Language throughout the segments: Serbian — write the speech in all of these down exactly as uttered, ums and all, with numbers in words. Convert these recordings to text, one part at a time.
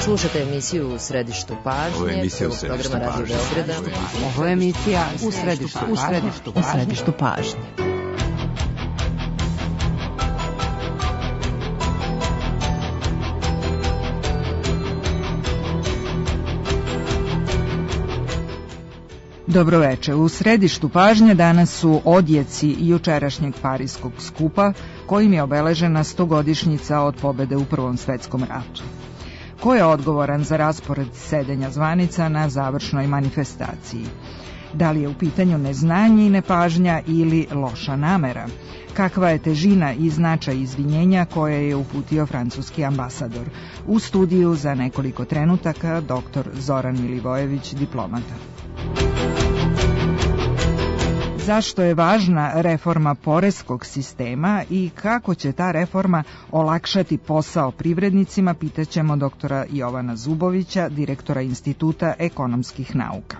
Slušate emisiju U središtu pažnje. Ovo je emisija U središtu pažnje. Ovo je emisija U središtu pažnje. U središtu pažnje. Dobroveče. U središtu pažnje danas su odjeci jučerašnjeg Pariskog skupa, kojim je obeležena stogodišnjica od pobede u Prvom svetskom ratu. Ko je odgovoran za raspored sedenja zvanica na završnoj manifestaciji? Da li je u pitanju neznanje i nepažnja ili loša namera? Kakva je težina i značaj izvinjenja koje je uputio francuski ambasador? U studiju za nekoliko trenutaka doktor Zoran Milivojević, diplomata. Zašto je važna reforma poreskog sistema i kako će ta reforma olakšati posao privrednicima, pitaćemo doktora Jovana Zubovića, direktora Instituta ekonomskih nauka.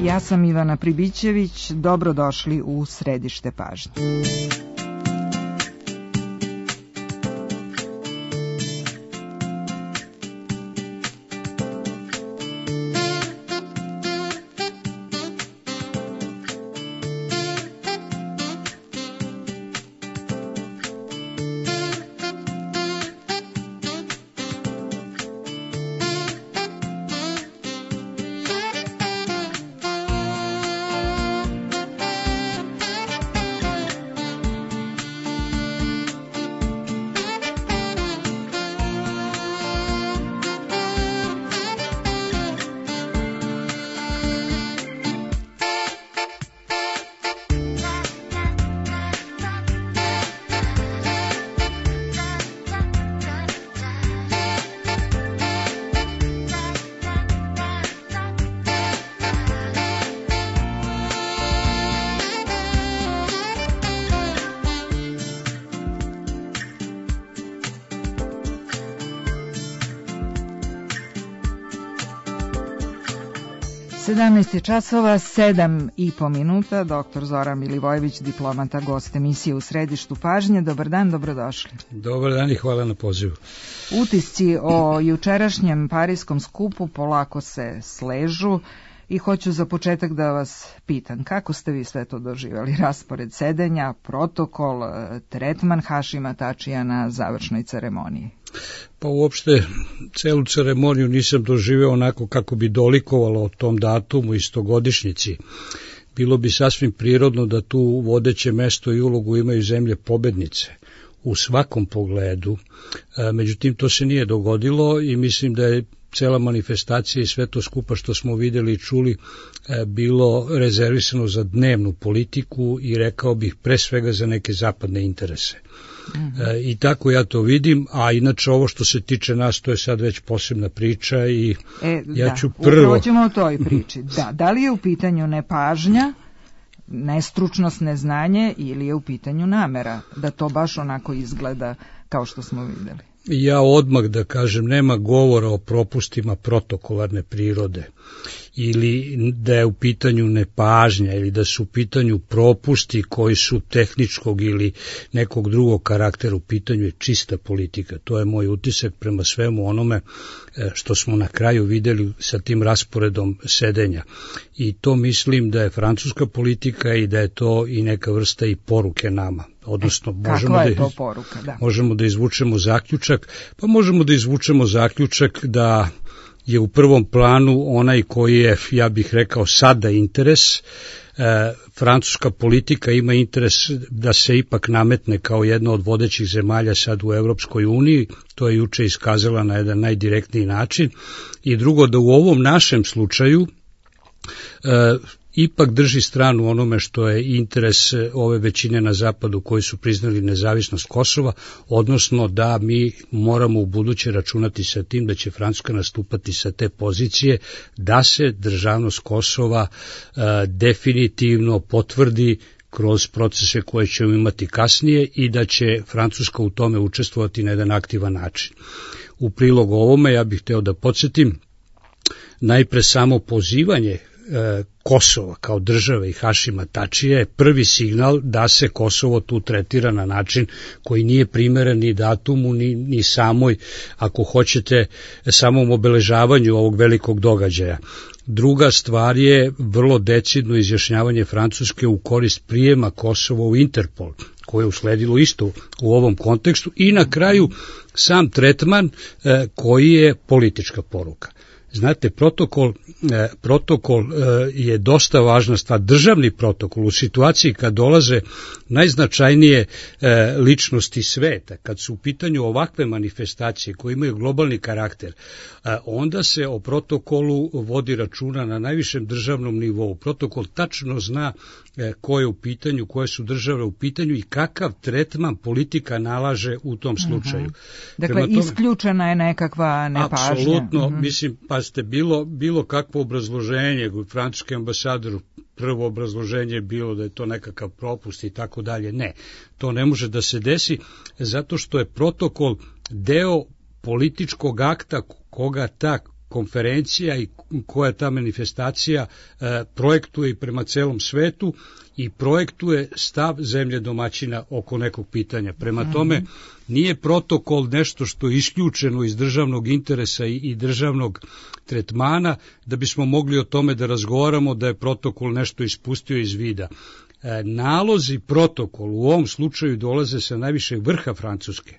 Ja sam Ivana Pribićević, dobrodošli u središte pažnje. sedamnaest časova, sedam i po minuta, doktor Zoran Milivojević, diplomata, gost emisije U središtu pažnje. Dobar dan, dobrodošli. Dobar dan i hvala na pozivu. Utisci o jučerašnjem Pariskom skupu polako se sležu i hoću za početak da vas pitam, kako ste vi sve to doživjeli? Raspored sedenja, protokol, tretman Hašima Tačija na završnoj ceremoniji? Pa uopšte celu ceremoniju nisam doživeo onako kako bi dolikovalo o tom datumu i stogodišnjici. Bilo bi sasvim prirodno da tu vodeće mesto i ulogu imaju zemlje pobednice u svakom pogledu. Međutim, to se nije dogodilo i mislim da je cela manifestacija i sve to skupa što smo vidjeli i čuli bilo rezervisano za dnevnu politiku i rekao bih pre svega za neke zapadne interese. Mm-hmm. E, I tako ja to vidim, a inače ovo što se tiče nas, to je sad već posebna priča i e, ja da, ću prvo... upravo ćemo o toj priči. Da, da li je u pitanju nepažnja, nestručnost, neznanje ili je u pitanju namera da to baš onako izgleda kao što smo vidjeli? Ja odmah da kažem, nema govora o propustima protokolarne prirode ili da je u pitanju nepažnja ili da su u pitanju propusti koji su tehničkog ili nekog drugog karaktera. U pitanju je čista politika. To je moj utisak prema svemu onome što smo na kraju vidjeli sa tim rasporedom sedenja. I to mislim da je francuska politika i da je to i neka vrsta i poruke nama. Odnosno, e, možemo, je da, poruka, da. možemo da izvučemo zaključak, pa možemo da izvučemo zaključak da je u prvom planu onaj koji je, ja bih rekao, sada interes. E, francuska politika ima interes da se ipak nametne kao jedna od vodećih zemalja sad u Evropskoj uniji, to je juče iskazala na jedan najdirektniji način. I drugo, da u ovom našem slučaju e, ipak drži stranu onome što je interes ove većine na zapadu koji su priznali nezavisnost Kosova, odnosno da mi moramo u buduće računati sa tim da će Francuska nastupati sa te pozicije, da se državnost Kosova e, definitivno potvrdi kroz procese koje ćemo imati kasnije i da će Francuska u tome učestvovati na jedan aktivan način. U prilog ovome ja bih hteo da podsjetim najpre samo pozivanje e, Kosova kao države i Hašima Tačija je prvi signal da se Kosovo tu tretira na način koji nije primeren ni datumu, ni, ni samoj, ako hoćete, samom obeležavanju ovog velikog događaja. Druga stvar je vrlo decidno izjašnjavanje Francuske u korist prijema Kosova u Interpol, koje je usledilo isto u ovom kontekstu, i na kraju sam tretman e, koji je politička poruka. Znate, protokol, eh, protokol eh, je dosta važna stvar, državni protokol u situaciji kad dolaze najznačajnije eh, ličnosti sveta, kad su u pitanju ovakve manifestacije koje imaju globalni karakter, eh, onda se o protokolu vodi računa na najvišem državnom nivou. Protokol tačno zna eh, ko je u pitanju, koje su države u pitanju i kakav tretman politika nalaže u tom slučaju. Uh-huh. Dakle, tome, isključena je nekakva nepažnja. Apsolutno, uh-huh. mislim, pa ste bilo, bilo kakvo obrazloženje, francuski ambasador, prvo obrazloženje je bilo da je to nekakav propust i tako dalje. Ne, to ne može da se desi zato što je protokol deo političkog akta koga ta konferencija i koja ta manifestacija e, projektuje i prema celom svetu i projektuje stav zemlje domaćina oko nekog pitanja. Prema tome, nije protokol nešto što je isključeno iz državnog interesa i, i državnog tretmana, da bismo mogli o tome da razgovaramo da je protokol nešto ispustio iz vida. E, nalozi protokol u ovom slučaju dolaze sa najvišeg vrha Francuske.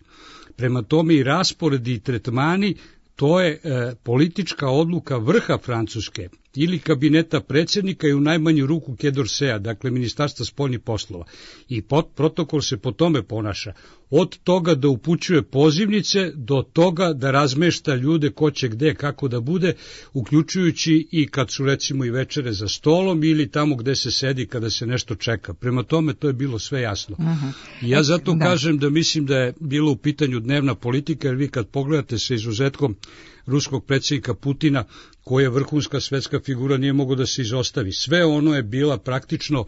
Prema tome i rasporedi i tretmani, to je e, politička odluka vrha Francuske ili kabineta predsjednika i u najmanju ruku Quai d'Orsay, dakle Ministarstva spoljnih poslova. I pot, protokol se po tome ponaša. Od toga da upućuje pozivnice do toga da razmešta ljude ko će gde, kako da bude, uključujući i kad su recimo i večere za stolom ili tamo gde se sedi kada se nešto čeka. Prema tome to je bilo sve jasno. Uh-huh. I ja zato da. kažem da mislim da je bilo u pitanju dnevna politika, jer vi kad pogledate sa izuzetkom ruskog predsjednika Putina, koja je vrhunska svetska figura, nije mogo da se izostavi. Sve ono je bila praktično,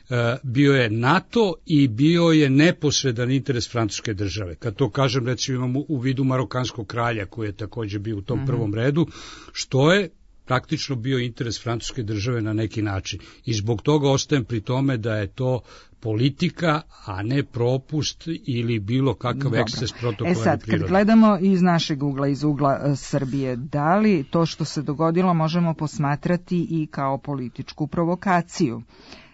e, bio je NATO i bio je neposredan interes francuske države. Kad to kažem, recimo imamo u vidu marokanskog kralja, koji je također bio u tom uh-huh. prvom redu, što je praktično bio interes francuske države na neki način. I zbog toga ostajem pri tome da je to politika, a ne propust ili bilo kakav Dobro. eksces protokola. E sad, kad gledamo iz našeg ugla, iz ugla uh, Srbije, da li to što se dogodilo možemo posmatrati i kao političku provokaciju?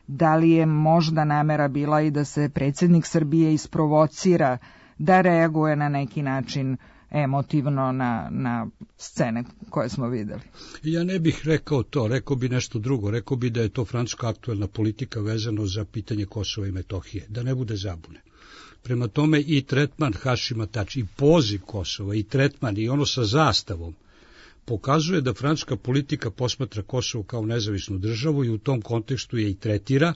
Da li je možda namera bila i da se predsjednik Srbije isprovocira da reaguje na neki način emotivno na, na scene koje smo videli? Ja ne bih rekao to, rekao bi nešto drugo, rekao bi da je to francuska aktuelna politika vezano za pitanje Kosova i Metohije, da ne bude zabune. Prema tome i tretman Hašima Tačija, i poziv Kosova, i tretman, i ono sa zastavom, pokazuje da francuska politika posmatra Kosovo kao nezavisnu državu i u tom kontekstu je i tretira,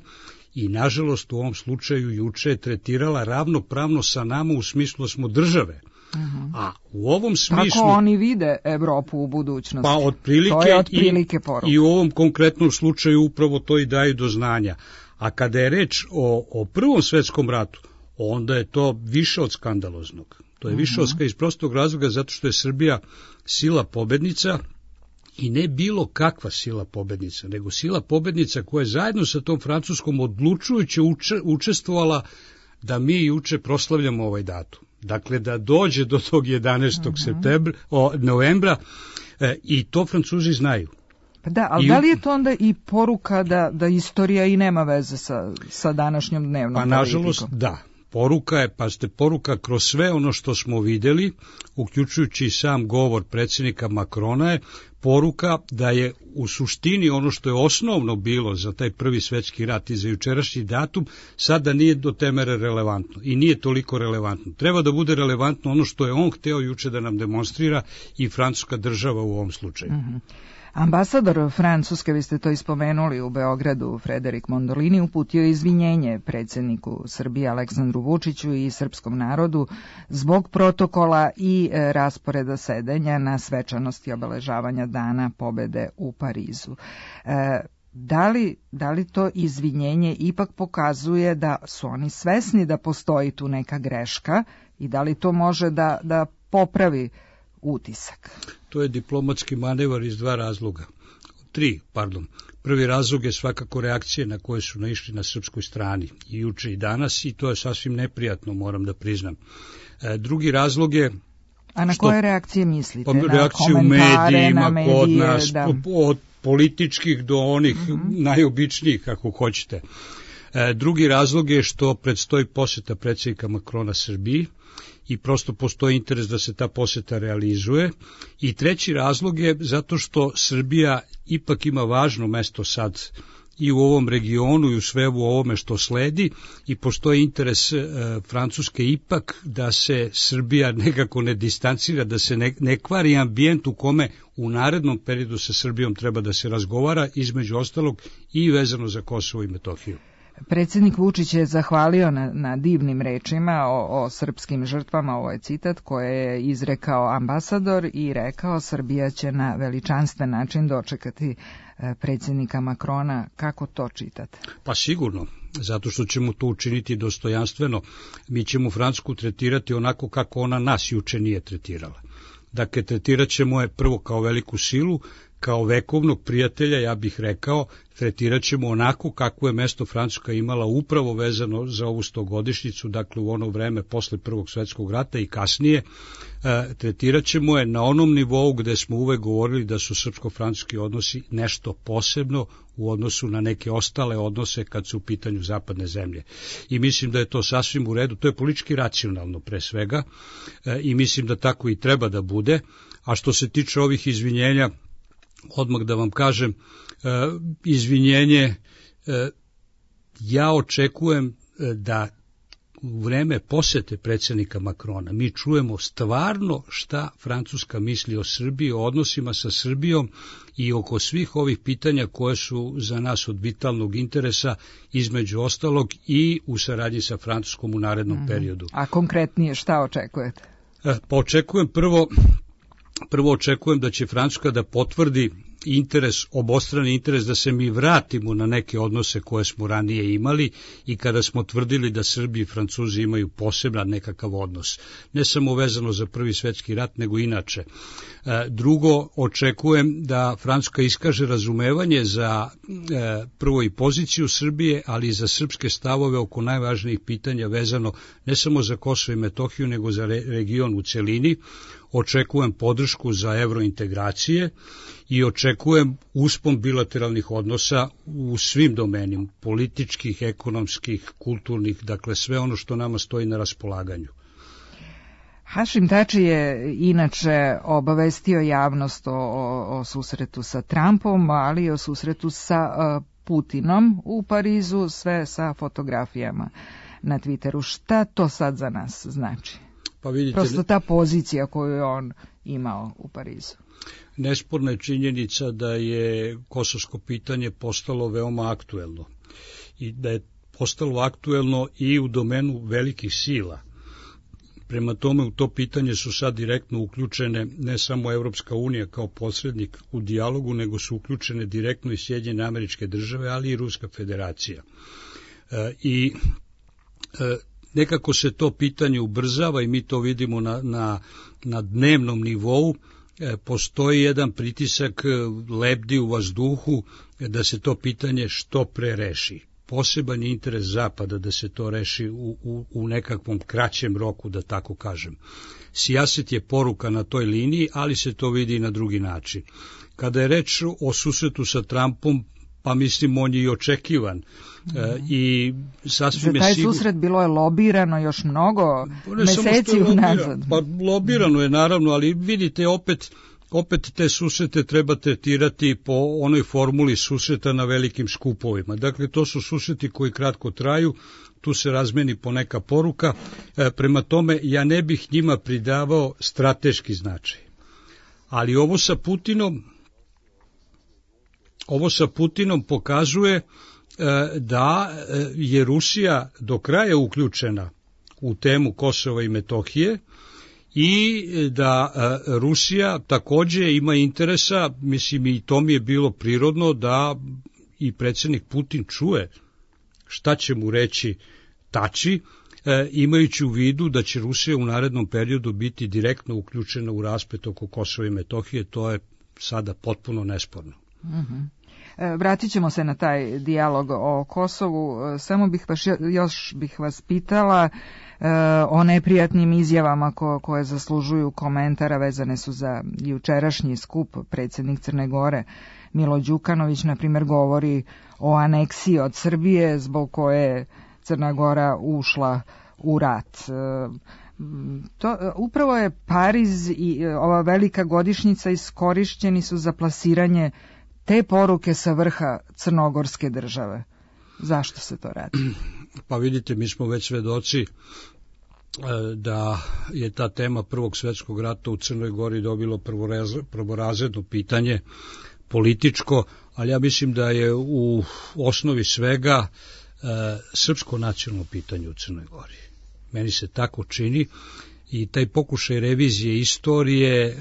i nažalost u ovom slučaju juče je tretirala ravnopravno sa nama u smislu da smo države. Uh-huh. A u ovom smislu... Kako oni vide Evropu u budućnosti? Pa otprilike, to je otprilike poruka. I, i u ovom konkretnom slučaju upravo to i daju do znanja. A kada je reč o, o Prvom svetskom ratu, onda je to više od skandaloznog. To je uh-huh. više od iz prostog razloga zato što je Srbija sila pobednica, i ne bilo kakva sila pobednica, nego sila pobednica koja je zajedno sa tom Francuskom odlučujuće uče, učestvovala da mi juče proslavljamo ovaj datum. Dakle, da dođe do tog jedanaestog Uh-huh. septembra, o, novembra, e, i to Francuzi znaju. Pa da, ali I, da li je to onda i poruka da, da istorija i nema veze sa, sa današnjom dnevnom pa, politikom? Pa nažalost, da. Poruka je, pa ste poruka kroz sve ono što smo videli, uključujući sam govor predsjednika Makrona, je poruka da je u suštini ono što je osnovno bilo za taj prvi svetski rat i za jučerašnji datum, sada nije do te mere relevantno i nije toliko relevantno. Treba da bude relevantno ono što je on hteo juče da nam demonstrira i francuska država u ovom slučaju. Mm-hmm. Ambasador Francuske, vi ste to ispomenuli u Beogradu, Frederik Mondolini, uputio izvinjenje predsjedniku Srbije Aleksandru Vučiću i srpskom narodu zbog protokola i e, rasporeda sedenja na svečanosti obeležavanja Dana pobede u Parizu. E, da li, da li to izvinjenje ipak pokazuje da su oni svesni da postoji tu neka greška i da li to može da, da popravi utisak? To je diplomatski manevar iz dva razloga. tri, pardon. Prvi razlog je svakako reakcije na koje su naišli na srpskoj strani i juče i danas i to je sasvim neprijatno, moram da priznam. E, drugi razlog je... A na što, koje reakcije mislite? Pa, reakcije u medijima, medije, kod nas, da. od političkih do onih mm-hmm. najobičnijih, kako hoćete. E, drugi razlog je što predstoji poseta predsjednika Makrona Srbiji i prosto postoji interes da se ta poseta realizuje. I treći razlog je zato što Srbija ipak ima važno mesto sad i u ovom regionu i u svemu ovome što sledi i postoji interes e, Francuske ipak da se Srbija nekako ne distancira, da se ne, ne kvari ambijent u kome u narednom periodu sa Srbijom treba da se razgovara, između ostalog i vezano za Kosovo i Metohiju. Predsjednik Vučić je zahvalio na, na divnim rečima o, o srpskim žrtvama, ovo je citat koje je izrekao ambasador i rekao Srbija će na veličanstven način dočekati predsjednika Makrona. Kako to čitate? Pa sigurno, zato što ćemo to učiniti dostojanstveno. Mi ćemo Francusku tretirati onako kako ona nas juče nije tretirala. Dakle, tretirat ćemo je prvo kao veliku silu, kao vekovnog prijatelja, ja bih rekao, tretirat ćemo onako kako je mesto Francuska imala upravo vezano za ovu stogodišnjicu, dakle u ono vreme posle Prvog svjetskog rata i kasnije. E, tretirat ćemo je na onom nivou gde smo uvek govorili da su srpsko-francuski odnosi nešto posebno u odnosu na neke ostale odnose kad su u pitanju zapadne zemlje. I mislim da je to sasvim u redu, to je politički racionalno pre svega e, i mislim da tako i treba da bude. A što se tiče ovih izvinjenja, odmah da vam kažem, e, izvinjenje, e, ja očekujem da u vreme posete predsjednika Makrona mi čujemo stvarno šta Francuska misli o Srbiji, o odnosima sa Srbijom i oko svih ovih pitanja koje su za nas od vitalnog interesa, između ostalog i u saradnji sa Francuskom u narednom mm-hmm. periodu. A konkretnije šta očekujete? E, pa očekujem prvo... Prvo očekujem da će Francuska da potvrdi interes, obostrani interes da se mi vratimo na neke odnose koje smo ranije imali i kada smo tvrdili da Srbi i Francuzi imaju poseban nekakav odnos. Ne samo vezano za Prvi svjetski rat, nego inače. Drugo, očekujem da Francuska iskaže razumevanje za prvo i poziciju Srbije, ali i za srpske stavove oko najvažnijih pitanja vezano ne samo za Kosovo i Metohiju, nego za region u celini. Očekujem podršku za evrointegracije i očekujem uspon bilateralnih odnosa u svim domenima, političkih, ekonomskih, kulturnih, dakle sve ono što nama stoji na raspolaganju. Hašim Tači je inače obavestio javnost o, o, o susretu sa Trumpom, ali i o susretu sa uh, Putinom u Parizu, sve sa fotografijama na Twitteru. Šta to sad za nas znači? Pa vidite, prosto ta pozicija koju je on imao u Parizu. Nesporna je činjenica da je kosovsko pitanje postalo veoma aktuelno i da je postalo aktuelno i u domenu velikih sila. Prema tome u to pitanje su sad direktno uključene ne samo Evropska unija kao posrednik u dijalogu, nego su uključene direktno i Sjedinjene Američke Države, ali i Ruska Federacija. E, I e, nekako se to pitanje ubrzava i mi to vidimo na, na, na dnevnom nivou. E, postoji jedan pritisak, lebdi u vazduhu da se to pitanje što pre reši. Poseban je interes Zapada da se to reši u, u, u nekakvom kraćem roku, da tako kažem. Sijaset je poruka na toj liniji, ali se to vidi i na drugi način. Kada je reč o susretu sa Trumpom, pa mislim on je i očekivan. Mm. E, i sasvim za taj je sigur... susret bilo je lobirano još mnogo meseci unazad. Pa lobirano je naravno, ali vidite opet... Opet te susrete treba tretirati po onoj formuli susreta na velikim skupovima. Dakle, to su susreti koji kratko traju, tu se razmeni po neka poruka, e, prema tome ja ne bih njima pridavao strateški značaj. Ali ovo sa Putinom, ovo sa Putinom pokazuje e, da je Rusija do kraja uključena u temu Kosova i Metohije, i da e, Rusija takođe ima interesa, mislim i to mi je bilo prirodno da i predsjednik Putin čuje šta će mu reći Tači, e, imajući u vidu da će Rusija u narednom periodu biti direktno uključena u rasplet oko Kosova i Metohije, to je sada potpuno nesporno. Mhm. Vratit ćemo se na taj dijalog o Kosovu, samo bih vas, još bih vas pitala o neprijatnim izjavama ko, koje zaslužuju komentara, vezane su za jučerašnji skup. Predsjednik Crne Gore Milo Đukanović, na primjer, govori o aneksiji od Srbije zbog koje je Crna Gora ušla u rat. To, upravo je Pariz i ova velika godišnjica iskorišćeni su za plasiranje te poruke sa vrha crnogorske države. Zašto se to radi? Pa vidite, mi smo već svedoci da je ta tema Prvog svjetskog rata u Crnoj Gori dobilo prvorazredno pitanje, političko, ali ja mislim da je u osnovi svega e, srpsko nacionalno pitanje u Crnoj Gori. Meni se tako čini i taj pokušaj revizije istorije e,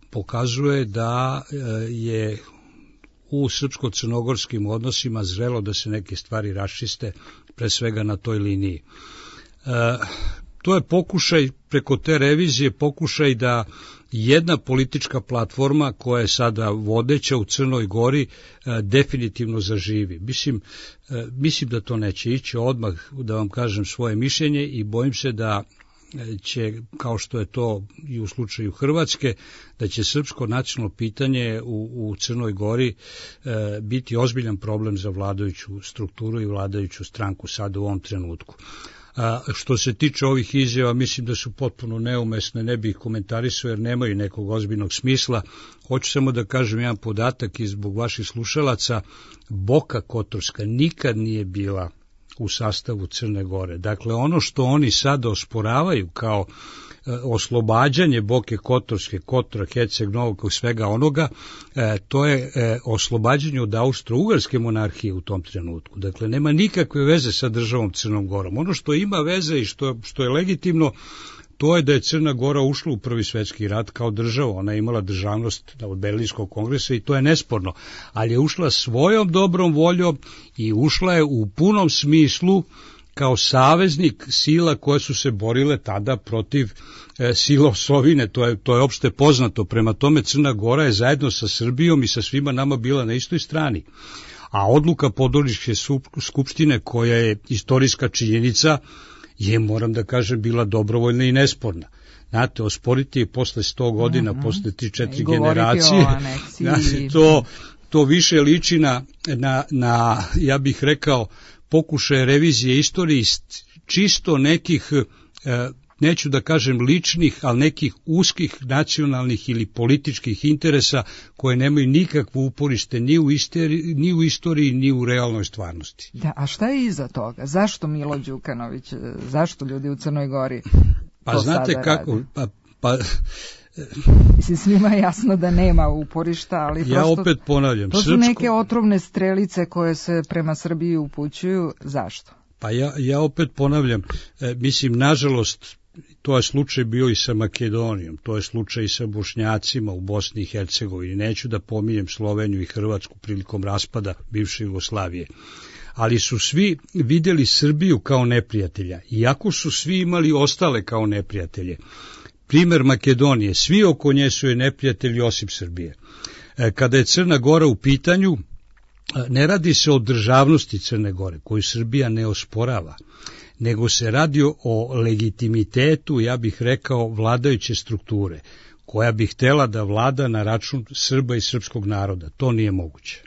pokazuje da e, je u srpsko-crnogorskim odnosima zrelo da se neke stvari raščiste, pre svega na toj liniji. E, to je pokušaj, preko te revizije, pokušaj da jedna politička platforma koja je sada vodeća u Crnoj Gori e, definitivno zaživi. Mislim, e, mislim da to neće ići odmah, da vam kažem svoje mišljenje, i bojim se da će, kao što je to i u slučaju Hrvatske, da će srpsko nacionalno pitanje u, u Crnoj Gori e, biti ozbiljan problem za vladajuću strukturu i vladajuću stranku sada u ovom trenutku. A što se tiče ovih izjava, mislim da su potpuno neumesne, ne bih ih komentarisao jer nemaju nekog ozbiljnog smisla. Hoću samo da kažem jedan podatak i zbog vaših slušalaca: Boka Kotorska nikad nije bila u sastavu Crne Gore. Dakle, ono što oni sada osporavaju kao e, oslobađanje Boke Kotorske, Kotora, Herceg Novog, svega onoga, e, to je e, oslobađanje od Austro-Ugarske monarhije u tom trenutku. Dakle, nema nikakve veze sa državom Crnom Gorom. Ono što ima veze i što, što je legitimno, to je da je Crna Gora ušla u Prvi svjetski rat kao država. Ona je imala državnost od Berlinskog kongresa i to je nesporno, ali je ušla svojom dobrom voljom i ušla je u punom smislu kao saveznik sila koje su se borile tada protiv e, sila osovine. To je, to je opšte poznato. Prema tome, Crna Gora je zajedno sa Srbijom i sa svima nama bila na istoj strani. A odluka Podgoričke skupštine, koja je istorijska činjenica, je, moram da kažem, bila dobrovoljna i nesporna. Znate, osporiti je posle sto godina, mm-hmm. posle tri četiri generacije, znači, to, to više liči na, na, na, ja bih rekao, pokušaje revizije istorije iz čisto nekih, e, neću da kažem ličnih, ali nekih uskih nacionalnih ili političkih interesa koje nemaju nikakvo uporište ni u, isteri, ni u istoriji, ni u realnoj stvarnosti. Da, a šta je iza toga? Zašto Milo Đukanović, zašto ljudi u Crnoj Gori pa to znate sada kako, radi? pa, pa Mislim, svima je jasno da nema uporišta, ali ja prosto opet ponavljam, to su srpsko... neke otrovne strelice koje se prema Srbiji upućuju. Zašto? Pa ja, ja opet ponavljam, e, mislim, nažalost, to je slučaj bio i sa Makedonijom, to je slučaj i sa Bošnjacima u Bosni i Hercegovini. Neću da pominjem Sloveniju i Hrvatsku prilikom raspada bivše Jugoslavije. Ali su svi vidjeli Srbiju kao neprijatelja, iako su svi imali ostale kao neprijatelje. Primer Makedonije, svi oko nje su je neprijatelji osim Srbije. Kada je Crna Gora u pitanju, ne radi se o državnosti Crne Gore, koju Srbija ne osporava, nego se radi o legitimitetu, ja bih rekao, vladajuće strukture, koja bi htela da vlada na račun Srba i srpskog naroda. To nije moguće.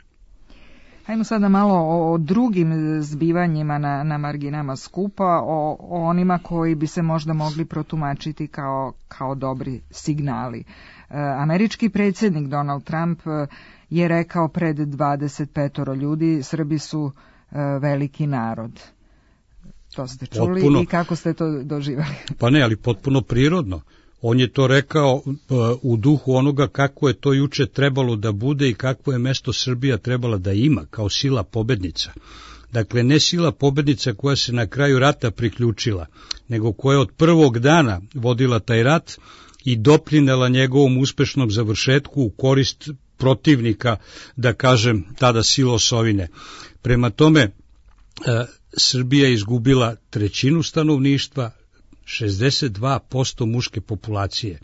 Hajmo sada malo o, o drugim zbivanjima na, na marginama skupa, o, o onima koji bi se možda mogli protumačiti kao, kao dobri signali. E, američki predsjednik Donald Trump je rekao pred dvadeset petoro ljudi: Srbi su e, veliki narod. To ste čuli potpuno, i kako ste to doživali? Pa ne, ali potpuno prirodno. On je to rekao u duhu onoga kako je to juče trebalo da bude i kakvo je mesto Srbija trebala da ima kao sila pobednica. Dakle, ne sila pobednica koja se na kraju rata priključila, nego koja je od prvog dana vodila taj rat i doprinela njegovom uspešnom završetku u korist protivnika, da kažem, tada sila osovine. Prema tome, Srbija je izgubila trećinu stanovništva, šezdeset dva posto muške populacije.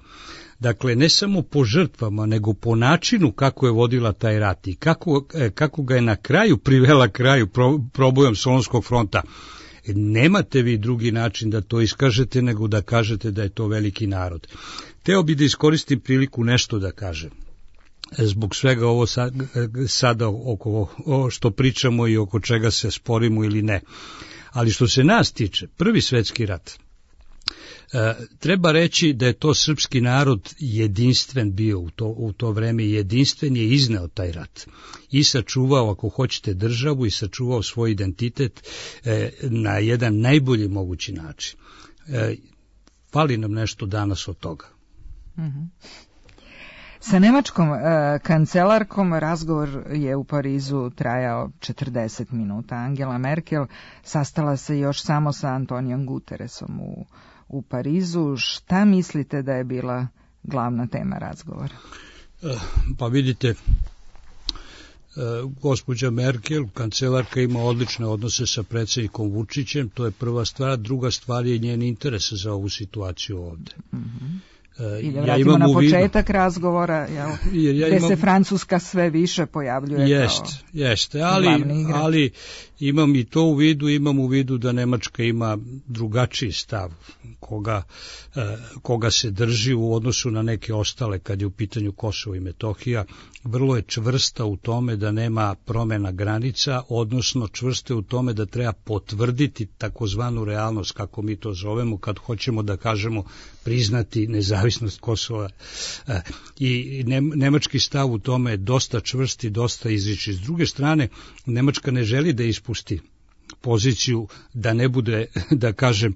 Dakle, ne samo po žrtvama, nego po načinu kako je vodila taj rat i kako, kako ga je na kraju privela kraju pro, probojom Solunskog fronta. Nemate vi drugi način da to iskažete nego da kažete da je to veliki narod. Teo bi da iskoristim priliku nešto da kažem. Zbog svega ovo sad, sada oko o što pričamo i oko čega se sporimo ili ne. Ali što se nas tiče, Prvi svetski rat, e, treba reći da je to srpski narod jedinstven bio u to, u to vreme, jedinstven je izneo taj rat i sačuvao, ako hoćete, državu i sačuvao svoj identitet e, na jedan najbolji mogući način. E, fali nam nešto danas od toga. Mhm. Sa nemačkom e, kancelarkom razgovor je u Parizu trajao četrdeset minuta. Angela Merkel sastala se još samo sa Antonijom Guterresom u, u Parizu. Šta mislite da je bila glavna tema razgovora? Pa vidite, gospođa Merkel, kancelarka, ima odlične odnose sa predsjednikom Vučićem, to je prva stvar. Druga stvar je njen interes za ovu situaciju ovde. Mhm. I da vratimo ja na početak razgovora, jel, jer ja gde imam, se Francuska sve više pojavljuje jest, kao jeste, ali, ali imam i to u vidu, imam u vidu da Nemačka ima drugačiji stav koga, koga se drži u odnosu na neke ostale kad je u pitanju Kosovo i Metohija. Vrlo je čvrsta u tome da nema promjena granica, odnosno čvrsta je u tome da treba potvrditi takozvanu realnost, kako mi to zovemo, kad hoćemo da kažemo priznati nezavisnost Kosova. I nemački stav u tome je dosta čvrst i dosta izričit. S druge strane, Nemačka ne želi da ispusti poziciju da ne bude, da kažem,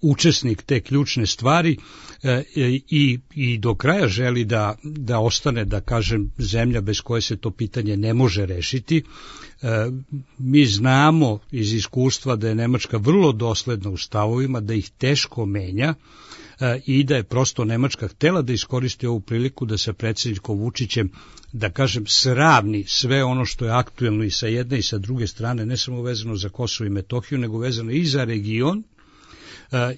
učesnik te ključne stvari e, i, i do kraja želi da, da ostane, da kažem, zemlja bez koje se to pitanje ne može rešiti. E, mi znamo iz iskustva da je Nemačka vrlo dosledna u stavovima, da ih teško menja e, i da je prosto Nemačka htela da iskoristi ovu priliku da sa predsjednikom Vučićem, da kažem, sravni sve ono što je aktuelno i sa jedne i sa druge strane, ne samo vezano za Kosovo i Metohiju, nego vezano i za region,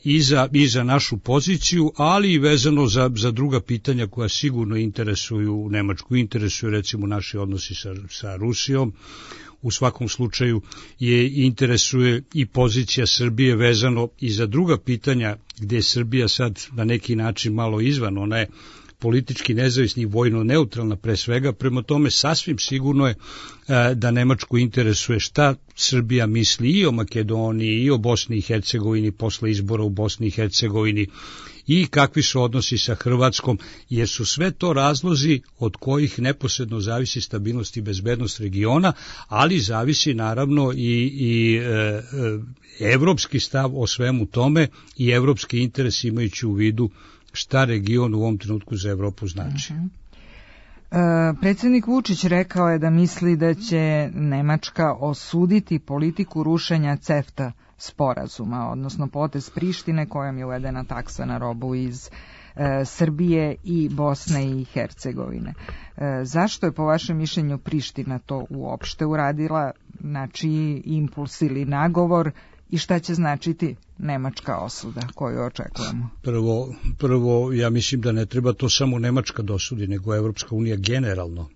I za, i za našu poziciju, ali i vezano za, za druga pitanja koja sigurno interesuju Nemačku. Interesuju recimo naši odnosi sa, sa Rusijom. U svakom slučaju je interesuje i pozicija Srbije vezano i za druga pitanja gdje je Srbija sad na neki način malo izvan. Ona je politički nezavisni, vojno neutralna pre svega, prema tome sasvim sigurno je e, da Nemačku interesuje šta Srbija misli i o Makedoniji i o Bosni i Hercegovini posle izbora u Bosni i Hercegovini i kakvi su odnosi sa Hrvatskom, jer su sve to razlozi od kojih neposredno zavisi stabilnost i bezbednost regiona, ali zavisi naravno i, i e, e, evropski stav o svemu tome i evropski interes imajući u vidu šta region u ovom trenutku za Evropu znači. Uh-huh. E, predsjednik Vučić rekao je da misli da će Nemačka osuditi politiku rušenja CEFTA sporazuma, odnosno potez Prištine kojom je uvedena taksa na robu iz e, Srbije i Bosne i Hercegovine. E, zašto je po vašem mišljenju Priština to uopšte uradila, na čiji impuls ili nagovor, i šta će značiti nemačka osuda koju očekujemo? Prvo, prvo, ja mislim da ne treba to samo Nemačka dosudi, nego Evropska unija generalno,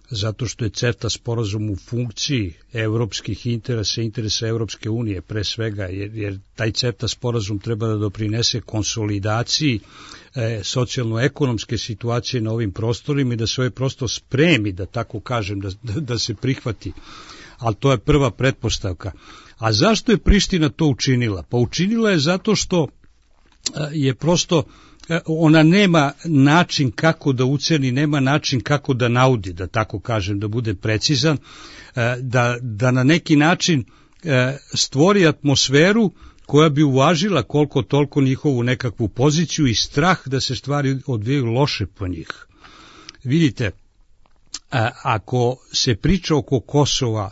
zato što je CEFTA sporazum u funkciji evropskih interesa, interesa Evropske unije pre svega, jer, jer taj CEFTA sporazum treba da doprinese konsolidaciji e, socijalno-ekonomske situacije na ovim prostorima i da se ovaj prostor spremi, da tako kažem, da, da, da se prihvati. Ali to je prva pretpostavka. A zašto je Priština to učinila? Pa učinila je zato što je prosto, ona nema način kako da uceni, nema način kako da naudi, da tako kažem, da bude precizan, da, da na neki način stvori atmosferu koja bi uvažila koliko toliko njihovu nekakvu poziciju i strah da se stvari odvijaju loše po njih. Vidite, ako se priča oko Kosova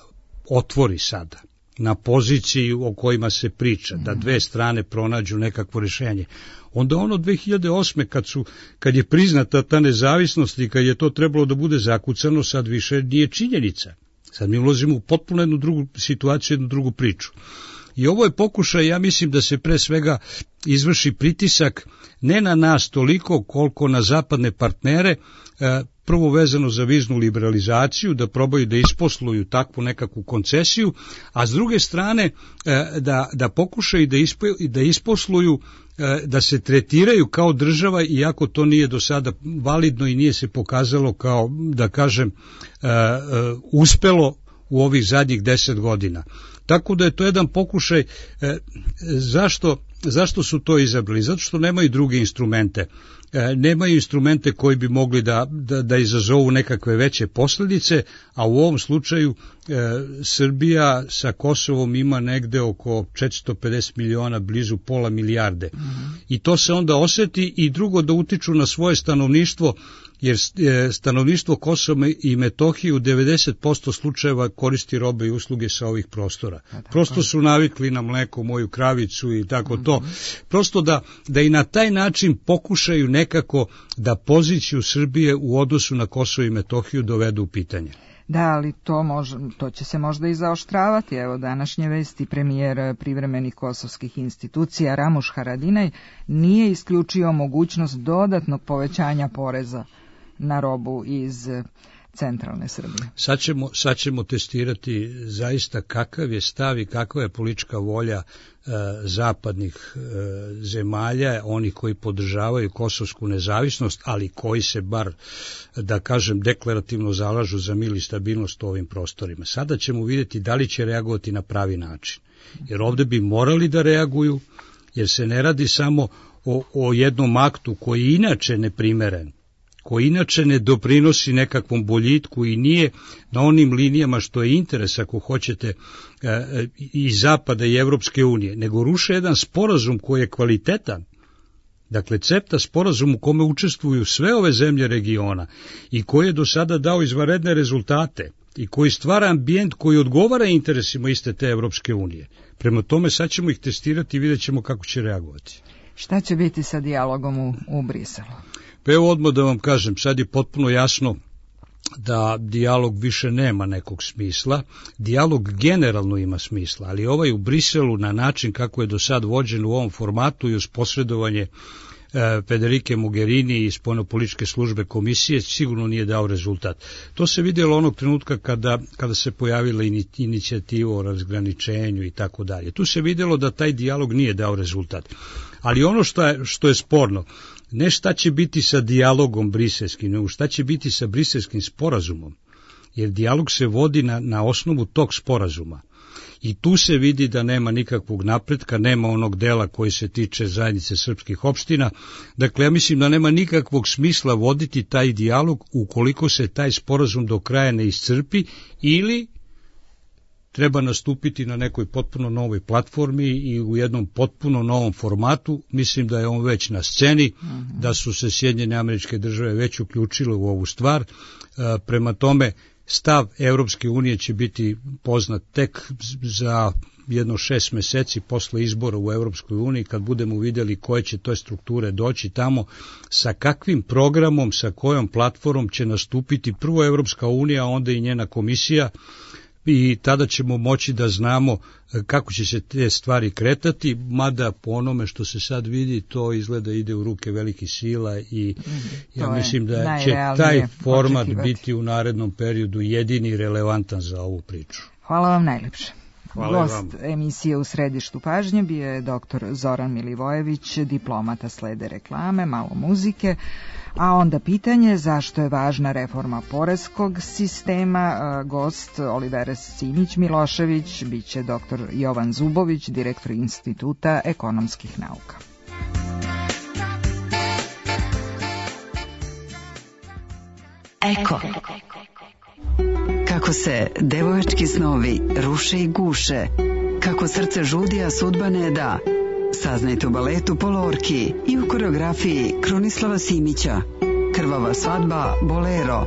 otvori sada, na poziciji o kojima se priča, da dve strane pronađu nekakvo rješenje, onda ono dve hiljade osme kad, su, kad je priznata ta nezavisnost i kad je to trebalo da bude zakucano, sad više nije činjenica. Sad mi ulazimo u potpuno jednu drugu situaciju, jednu drugu priču. I ovo je pokušaj, ja mislim da se pre svega izvrši pritisak ne na nas toliko koliko na zapadne partnere, prvo vezano za viznu liberalizaciju, da probaju da isposluju takvu nekakvu koncesiju, a s druge strane da, da pokušaju da, ispo, da isposluju, da se tretiraju kao država, iako to nije do sada validno i nije se pokazalo kao, da kažem, uspelo u ovih zadnjih deset godina. Tako da je to jedan pokušaj. Zašto, zašto su to izabrali? Zato što nemaju druge instrumente. Nemaju instrumente koji bi mogli da, da, da izazovu nekakve veće posljedice, a u ovom slučaju e, Srbija sa Kosovom ima negde oko četiristo pedeset miliona, blizu pola milijarde. Mm-hmm. I to se onda oseti, i drugo, da utiču na svoje stanovništvo, jer stanovništvo Kosova i Metohije u devedeset posto slučajeva koristi robe i usluge sa ovih prostora. Prosto su navikli na mleko, moju kravicu i tako to. Prosto da, da i na taj način pokušaju nekako da poziciju Srbije u odnosu na Kosovo i Metohiju dovedu u pitanje. Da, ali to, može, to će se možda i zaoštravati. Evo, današnje vesti, premijer privremenih kosovskih institucija Ramuš Haradinaj nije isključio mogućnost dodatnog povećanja poreza na robu iz centralne Srbije. Sad ćemo, sad ćemo testirati zaista kakav je stav i kakva je politička volja e, zapadnih e, zemalja, onih koji podržavaju kosovsku nezavisnost, ali koji se bar, da kažem, deklarativno zalažu za mir i stabilnost u ovim prostorima. Sada ćemo vidjeti da li će reagovati na pravi način. Jer ovde bi morali da reaguju, jer se ne radi samo o, o jednom aktu koji je inače neprimeren, koji inače ne doprinosi nekakvom boljitku i nije na onim linijama što je interes, ako hoćete, i Zapada i Evropske unije, nego ruše jedan sporazum koji je kvalitetan. Dakle, CEFTA sporazum u kome učestvuju sve ove zemlje regiona i koji je do sada dao izvanredne rezultate i koji stvara ambijent koji odgovara interesima iste te Evropske unije. Prema tome, sad ćemo ih testirati i vidjet ćemo kako će reagovati. Šta će biti sa dijalogom u, u Briselu? Pa evo odmah da vam kažem, sad je potpuno jasno da dijalog više nema nekog smisla. Dijalog generalno ima smisla, ali ovaj u Briselu na način kako je do sad vođen u ovom formatu i uz posredovanje e, Federike Mogherini i spoljnopolitičke službe komisije sigurno nije dao rezultat. To se vidjelo onog trenutka kada, kada se pojavila inicijativa o razgraničenju i tako dalje. Tu se vidjelo da taj dijalog nije dao rezultat. Ali ono što je, što je sporno, ne šta će biti sa dijalogom briselskim, nego šta će biti sa briselskim sporazumom, jer dijalog se vodi na, na osnovu tog sporazuma. I tu se vidi da nema nikakvog napretka, nema onog dela koji se tiče zajednice srpskih opština. Dakle, ja mislim da nema nikakvog smisla voditi taj dijalog ukoliko se taj sporazum do kraja ne iscrpi, ili treba nastupiti na nekoj potpuno novoj platformi i u jednom potpuno novom formatu. Mislim da je on već na sceni, mm-hmm. da su se Sjedinjene Američke Države već uključile u ovu stvar. E, prema tome, stav Evropske unije će biti poznat tek za jedno šest meseci posle izbora u Evropskoj uniji, kad budemo vidjeli koje će to strukture doći tamo, sa kakvim programom, sa kojom platformom će nastupiti prvo Evropska unija, a onda i njena komisija, i tada ćemo moći da znamo kako će se te stvari kretati, mada po onome što se sad vidi, to izgleda ide u ruke velikih sila i ja to mislim da će taj format očekivati. Biti u narednom periodu jedini relevantan za ovu priču. Hvala vam najlepše. Hvala Gost vam. emisije U središtu pažnje bio je doktor Zoran Milivojević, diplomata, slede reklame, malo muzike, a onda pitanje zašto je važna reforma poreskog sistema. Gost Olivera Simić Milošević biće doktor Jovan Zubović, direktor Instituta ekonomskih nauka. Eko. Kako se devojački snovi ruše i guše, kako srce žudi, a sudba ne da. Saznajte u baletu Polorki i u koreografiji Krunislava Simića. Krvava svadba Bolero.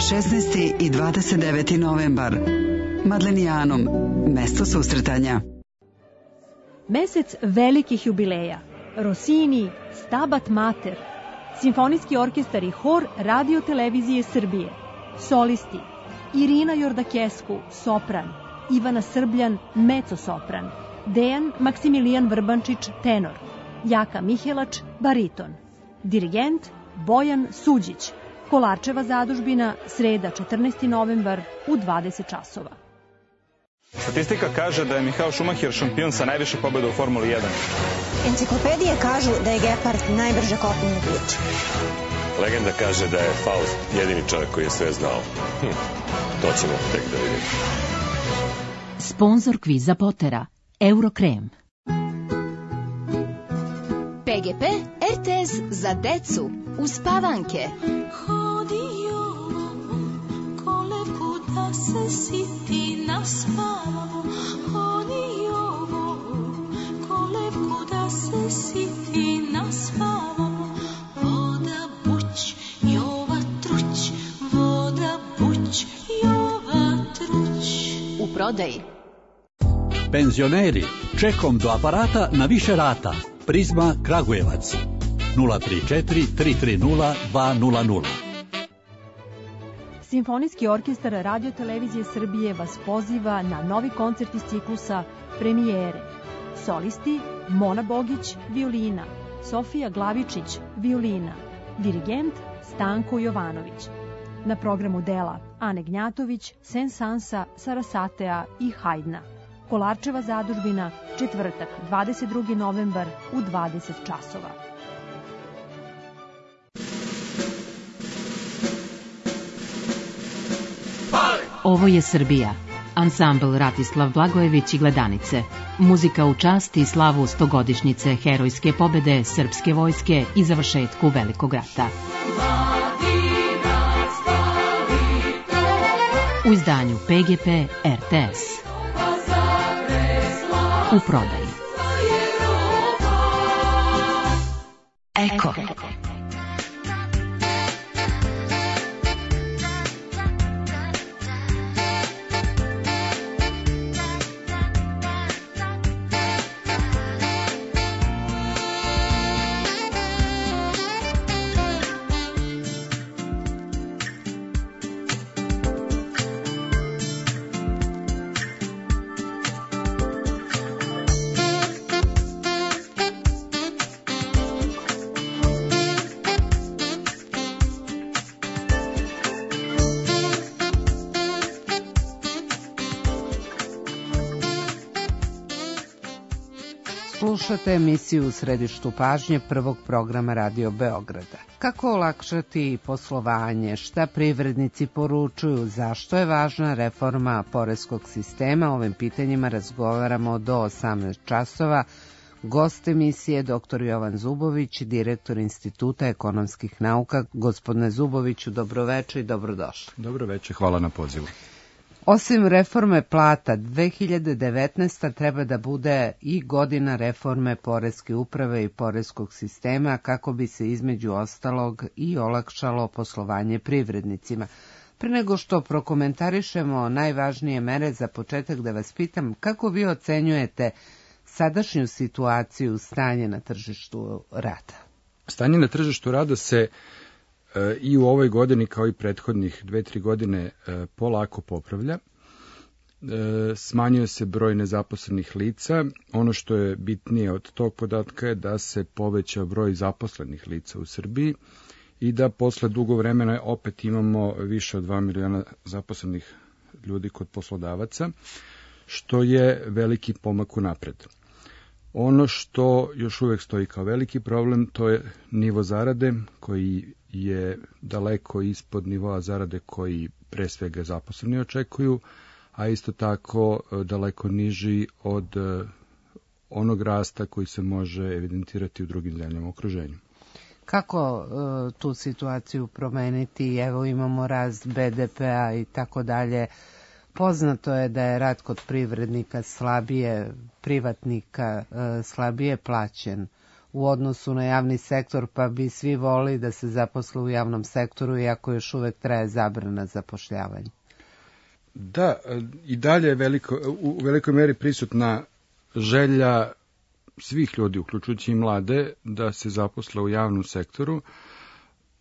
šesnaesti i dvadeset deveti novembar. Madlenijanom, mesto susretanja. Mesec velikih jubileja. Rossini, Stabat Mater, Simfonijski orkestar i hor Radio Televizije Srbije. Solisti: Irina Jordakescu, sopran, Ivana Srbljan, mecosopran, Dejan Maksimilijan Vrbančić, tenor, Jaka Mihelač, bariton, dirigent Bojan Suđić. Kolarčeva zadužbina, sreda četrnaesti novembar u dvadeset časova. Statistika kaže da je Michael Schumacher šampion sa najviše pobjeda u Formuli jedan. Enciklopedije kažu da je Gepard najbrže kopneni bič. Legenda kaže da je Faust jedini čovjek koji je sve znao. Hm, to ćemo tek da vidimo. Sponzor kviza Potera, Eurokrem. P G P R T S za decu, uspavanke. Hodio kolevku da se siti naspavamo. Hodio kolevku da se siti naspavamo. Voda buć, Jova truć, voda buć, Jova truć. U prodaji. Penzioneri, čekom do aparata na više rata. Prizma Kragujevac nula tri četiri tri tri nula dva nula nula. Simfonijski orkestar Radio Televizije Srbije vas poziva na novi koncert iz ciklusa Premijere. Solisti Mona Bogić, violina, Sofija Glavičić, violina, dirigent Stanko Jovanović. Na programu dela Ane Gnjatović, Sensansa, Sarasatea i Hajdna. Kolarčeva zadužbina, četvrtak, dvadeset drugi novembar u dvadeset časova. Ovo je Srbija. Ansambl Ratislav Blagojević i Gledanice. Muzika u čast i slavu stogodišnjice herojske pobede srpske vojske i završetku Velikog rata. U izdanju P G P R T S. U prodaji. Eko. Slušate emisiju U središtu pažnje prvog programa Radio Beograda. Kako olakšati poslovanje, šta privrednici poručuju, zašto je važna reforma poreskog sistema, ovim pitanjima razgovaramo do osamnaest časova. Gost emisije doktor Jovan Zubović, direktor Instituta ekonomskih nauka. Gospodine Zuboviću, dobroveče i dobrodošli. Dobroveče, hvala na pozivu. Osim reforme plata, dve hiljade devetnaesta treba da bude i godina reforme poreske uprave i poreskog sistema kako bi se između ostalog i olakšalo poslovanje privrednicima. Pre nego što prokomentarišemo najvažnije mere, za početak da vas pitam kako vi ocenjujete sadašnju situaciju, stanje na tržištu rada? Stanje na tržištu rada se i u ovoj godini kao i prethodnih dve, tri godine polako popravlja. Smanjuje se broj nezaposlenih lica. Ono što je bitnije od tog podatka je da se poveća broj zaposlenih lica u Srbiji i da posle dugo vremena opet imamo više od dva miliona zaposlenih ljudi kod poslodavaca, što je veliki pomak unapred. Ono što još uvek stoji kao veliki problem, to je nivo zarade koji je daleko ispod nivoa zarade koji pre svega zaposleni očekuju, a isto tako daleko niži od onog rasta koji se može evidentirati u drugim zemljama u okruženju. Kako uh, tu situaciju promeniti? Evo imamo rast B D P-a i tako dalje. Poznato je da je rad kod privrednika slabije, privatnika uh, slabije plaćen u odnosu na javni sektor, pa bi svi volili da se zaposle u javnom sektoru, iako još uvek traje zabrana zapošljavanja. Da, i dalje je veliko, u velikoj meri prisutna želja svih ljudi, uključujući i mlade, da se zaposle u javnom sektoru.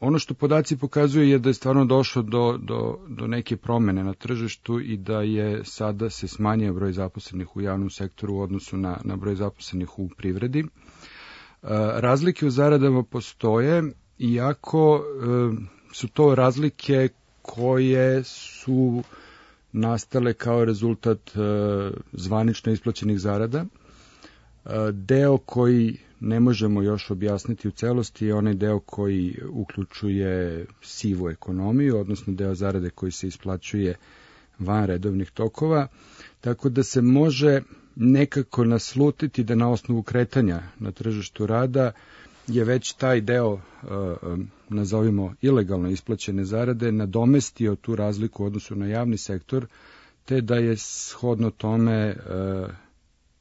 ono što podaci pokazuju je da je stvarno došlo do, do, do neke promene na tržištu i da je sada se smanjio broj zaposlenih u javnom sektoru u odnosu na, na broj zaposlenih u privredi. E, razlike u zaradama postoje, iako e, su to razlike koje su nastale kao rezultat e, zvanično isplaćenih zarada. E, deo koji ne možemo još objasniti u celosti je onaj deo koji uključuje sivu ekonomiju, odnosno deo zarade koji se isplaćuje van redovnih tokova, tako da se može nekako naslutiti da na osnovu kretanja na tržištu rada je već taj deo, nazovimo ilegalno isplaćene zarade, nadomestio tu razliku u odnosu na javni sektor, te da je shodno tome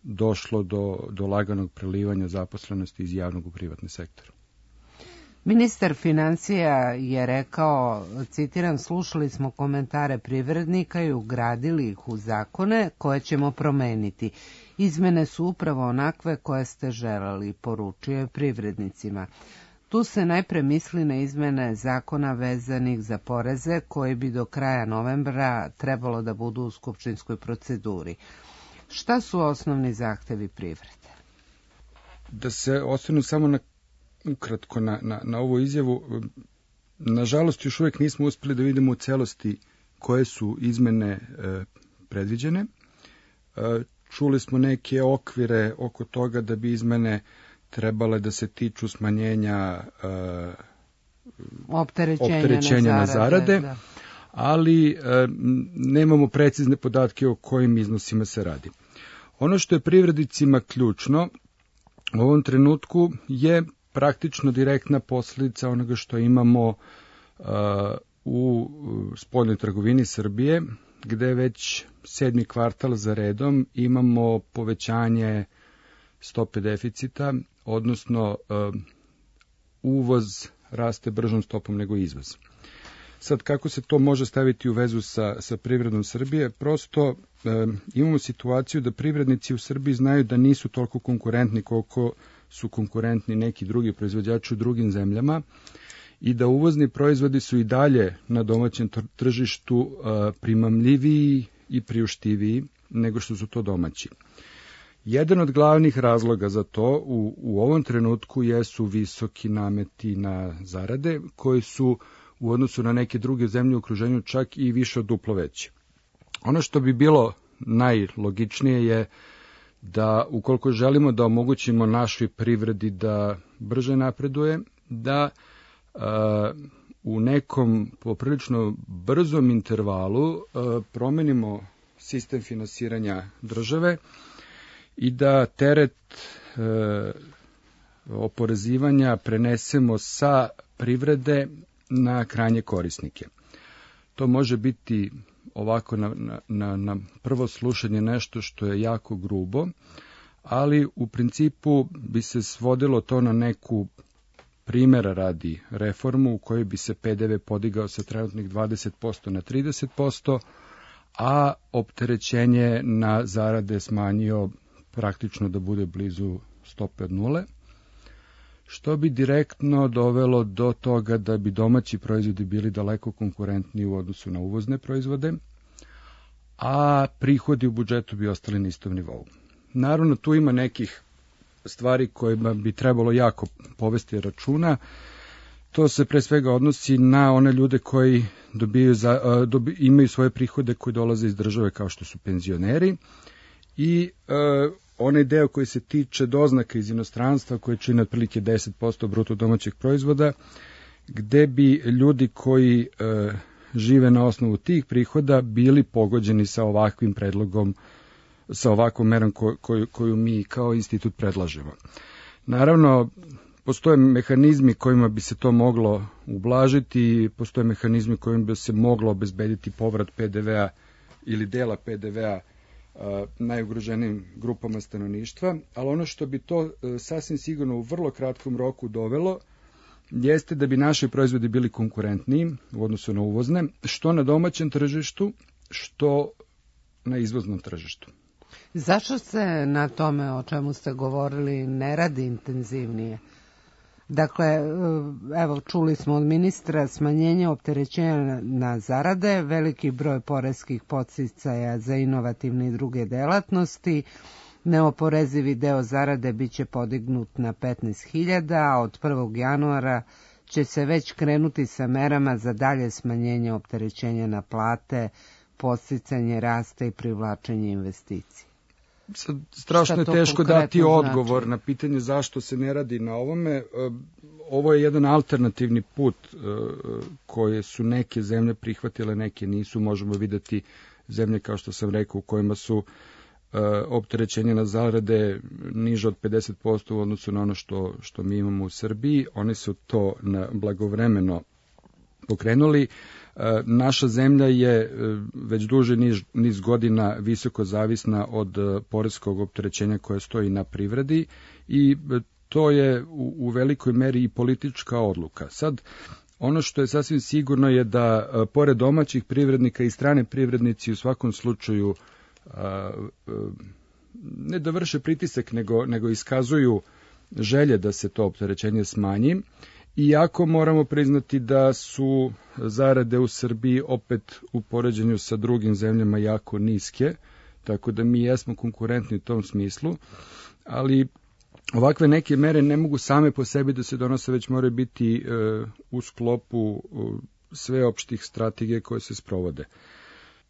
došlo do, do laganog prelivanja zaposlenosti iz javnog u privatni sektor. Ministar financija je rekao, citiram, slušali smo komentare privrednika i ugradili ih u zakone koje ćemo promeniti. Izmene su upravo onakve koje ste želeli, poručio je privrednicima. Tu se najpre misli na izmene zakona vezanih za poreze koji bi do kraja novembra trebalo da budu u skupštinskoj proceduri. Šta su osnovni zahtevi privrede? Da se osvrnu samo na, ukratko na, na, na ovu izjavu, nažalost još uvijek nismo uspeli da vidimo u celosti koje su izmene e, predviđene. E, čuli smo neke okvire oko toga da bi izmene trebale da se tiču smanjenja e, opterećenja, opterećenja na zarade, na zarade da. ali e, nemamo precizne podatke o kojim iznosima se radi. Ono što je privrednicima ključno u ovom trenutku je praktično direktna posljedica onoga što imamo uh, u spoljnoj trgovini Srbije, gde već sedmi kvartal za redom imamo povećanje stope deficita, odnosno uh, uvoz raste bržom stopom nego izvoz. Sad, kako se to može staviti u vezu sa, sa privredom Srbije? Prosto e, imamo situaciju da privrednici u Srbiji znaju da nisu toliko konkurentni koliko su konkurentni neki drugi proizvođači u drugim zemljama i da uvozni proizvodi su i dalje na domaćem tržištu e, primamljiviji i priuštiviji nego što su to domaći. Jedan od glavnih razloga za to u, u ovom trenutku jesu visoki nameti na zarade koji su u odnosu na neke druge zemlje u okruženju čak i više od duplo veće. Ono što bi bilo najlogičnije je da ukoliko želimo da omogućimo našoj privredi da brže napreduje, da a, u nekom poprilično brzom intervalu a, promenimo sistem finansiranja države i da teret a, oporezivanja prenesemo sa privrede na krajnje korisnike. To može biti ovako na, na, na prvo slušanje nešto što je jako grubo, ali u principu bi se svodilo to na neku primjera radi reformu u kojoj bi se P D V podigao sa trenutnih dvadeset posto na trideset posto, a opterećenje na zarade smanjio praktično da bude blizu stope od nule, što bi direktno dovelo do toga da bi domaći proizvodi bili daleko konkurentniji u odnosu na uvozne proizvode, a prihodi u budžetu bi ostali na istom nivou. Naravno, tu ima nekih stvari kojima bi trebalo jako povesti računa. To se pre svega odnosi na one ljude koji dobiju za, dobi, imaju svoje prihode koji dolaze iz države kao što su penzioneri i e, onaj deo koji se tiče doznaka iz inostranstva koje čine otprilike deset posto bruto domaćeg proizvoda, gde bi ljudi koji e, žive na osnovu tih prihoda bili pogođeni sa ovakvim predlogom, sa ovakvom merom ko, koju, koju mi kao institut predlažemo. Naravno, postoje mehanizmi kojima bi se to moglo ublažiti, postoje mehanizmi kojima bi se moglo obezbediti povrat P D V-a ili dela P D V-a najugroženijim grupama stanovništva, ali ono što bi to sasvim sigurno u vrlo kratkom roku dovelo jeste da bi naši proizvodi bili konkurentniji u odnosu na uvozne, što na domaćem tržištu, što na izvoznom tržištu. Zašto se na tome o čemu ste govorili ne radi intenzivnije? Dakle, evo, čuli smo od ministra smanjenje opterećenja na zarade, veliki broj poreskih podsticaja za inovativne i druge delatnosti, neoporezivi deo zarade biće podignut na petnaest hiljada, a od prvog januara će se već krenuti sa merama za dalje smanjenje opterećenja na plate, podsticanje rasta i privlačenje investicija. Sad, strašno je teško dati odgovor znači? na pitanje zašto se ne radi na ovome. Ovo je jedan alternativni put koje su neke zemlje prihvatile, neke nisu. Možemo videti zemlje, kao što sam rekao, u kojima su opterećenje na zarade niže od pedeset posto u odnosu na ono što, što mi imamo u Srbiji. Oni su to na blagovremeno pokrenuli. Naša zemlja je već duže niz, niz godina visoko zavisna od poreskog opterećenja koje stoji na privredi i to je u, u velikoj meri i politička odluka. Sad, ono što je sasvim sigurno je da pored domaćih privrednika i strane privrednici u svakom slučaju a, a, ne da vrše pritisak, nego, nego iskazuju želje da se to opterećenje smanji. Iako moramo priznati da su zarade u Srbiji opet u poređenju sa drugim zemljama jako niske, tako da mi jesmo konkurentni u tom smislu, ali ovakve neke mere ne mogu same po sebi da se donose, već moraju biti e, u sklopu e, sveopštih strategije koje se sprovode.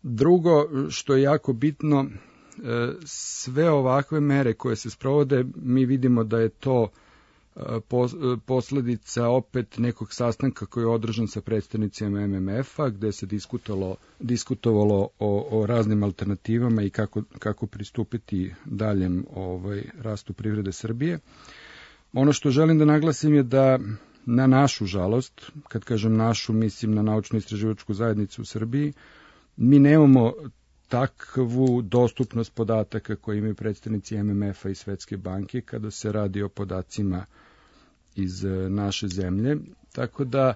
Drugo, što je jako bitno, e, sve ovakve mere koje se sprovode, mi vidimo da je to posledica opet nekog sastanka koji je održan sa predstavnicima M M F-a, gde se diskutovalo, diskutovalo o, o raznim alternativama i kako, kako pristupiti daljem ovaj, rastu privrede Srbije. Ono što želim da naglasim je da na našu žalost, kad kažem našu, mislim na naučno-istraživačku zajednicu u Srbiji, mi nemamo takvu dostupnost podataka koje imaju predstavnici M M F-a i Svetske banke kada se radi o podacima iz naše zemlje, tako da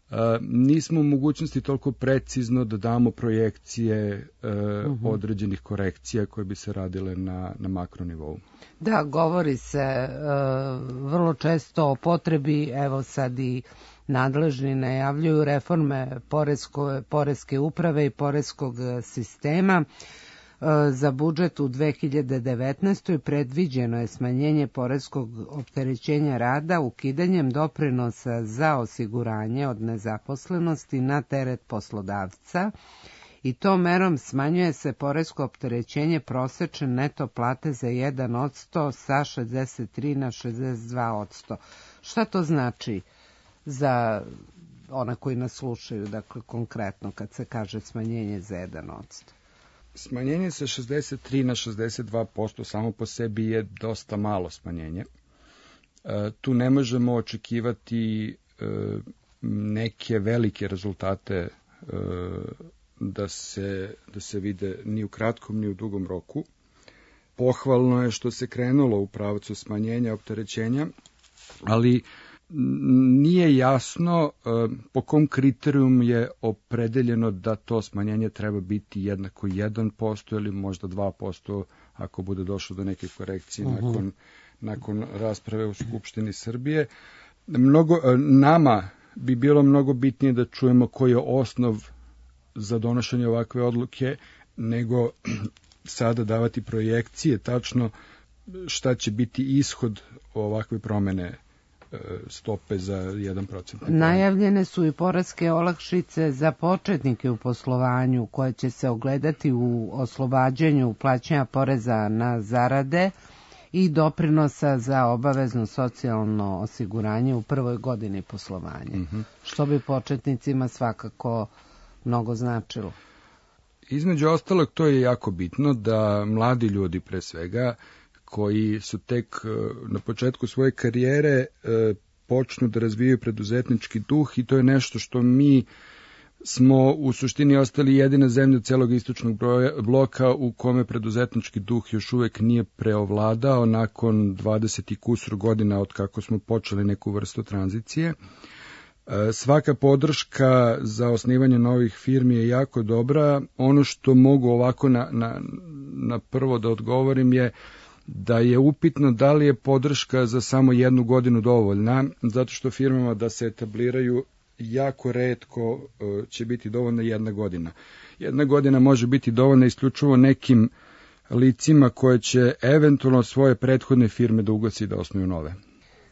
a, nismo u mogućnosti toliko precizno da damo projekcije a, uh-huh. određenih korekcija koje bi se radile na, na makronivou. Da, govori se uh, vrlo često o potrebi, evo sad i nadležni najavljuju reforme poresko, poreske uprave i poreskog sistema. Za budžet u dve hiljade devetnaestoj predviđeno je smanjenje poreskog opterećenja rada ukidanjem doprinosa za osiguranje od nezaposlenosti na teret poslodavca i tom merom smanjuje se poresko opterećenje prosečne neto plate za jedan posto sa šezdeset tri na šezdeset dva posto. Šta to znači za one koji nas slušaju, dakle konkretno kad se kaže smanjenje za jedan posto? Smanjenje sa šezdeset tri na šezdeset dva posto samo po sebi je dosta malo smanjenje. E, tu ne možemo očekivati e, neke velike rezultate e, da se, da se vide ni u kratkom ni u dugom roku. Pohvalno je što se krenulo u pravcu smanjenja opterećenja, ali nije jasno po kom kriterijum je opredeljeno da to smanjenje treba biti jednako jedan posto ili možda dva posto ako bude došlo do neke korekcije uh-huh. nakon, nakon rasprave u Skupštini Srbije. Mnogo, nama bi bilo mnogo bitnije da čujemo koji je osnov za donošenje ovakve odluke, nego sada davati projekcije tačno šta će biti ishod ovakve promene stope za jedan procenat. Najavljene su i poreske olakšice za početnike u poslovanju koje će se ogledati u oslobađanju plaćanja poreza na zarade i doprinosa za obavezno socijalno osiguranje u prvoj godini poslovanja, uh-huh. što bi početnicima svakako mnogo značilo. Između ostalog, to je jako bitno da mladi ljudi pre svega koji su tek na početku svoje karijere počnu da razvijaju preduzetnički duh i to je nešto što mi smo u suštini ostali jedina zemlja celog istočnog bloka u kome preduzetnički duh još uvek nije preovladao nakon dvadeset i kusur godina od kako smo počeli neku vrstu tranzicije. Svaka podrška za osnivanje novih firmi je jako dobra. Ono što mogu ovako na, na, na prvo da odgovorim je da je upitno da li je podrška za samo jednu godinu dovoljna, zato što firmama da se etabliraju jako retko će biti dovoljna jedna godina. Jedna godina može biti dovoljna isključivo nekim licima koje će eventualno svoje prethodne firme da ugasi i da osnuju nove.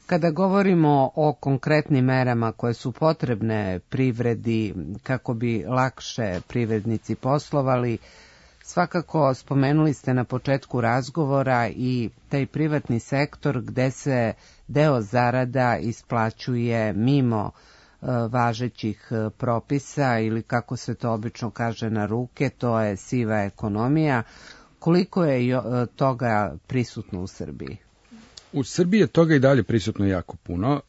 Kada govorimo o konkretnim merama koje su potrebne privredi kako bi lakše privrednici poslovali, svakako spomenuli ste na početku razgovora i taj privatni sektor gde se deo zarada isplaćuje mimo važećih propisa ili kako se to obično kaže na ruke, to je siva ekonomija. Koliko je toga prisutno u Srbiji? U Srbiji je toga i dalje prisutno jako puno.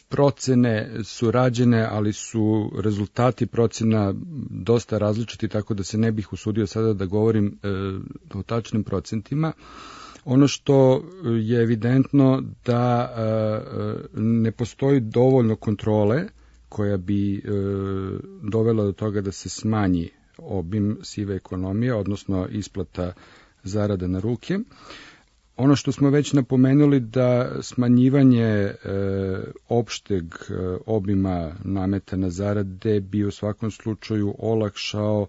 Procene su rađene, ali su rezultati procena dosta različiti, tako da se ne bih usudio sada da govorim o tačnim procentima. Ono što je evidentno da ne postoji dovoljno kontrole koja bi dovela do toga da se smanji obim sive ekonomije, odnosno isplata zarada na ruke. Ono što smo već napomenuli da smanjivanje e, opšteg e, obima nameta na zarade bi u svakom slučaju olakšao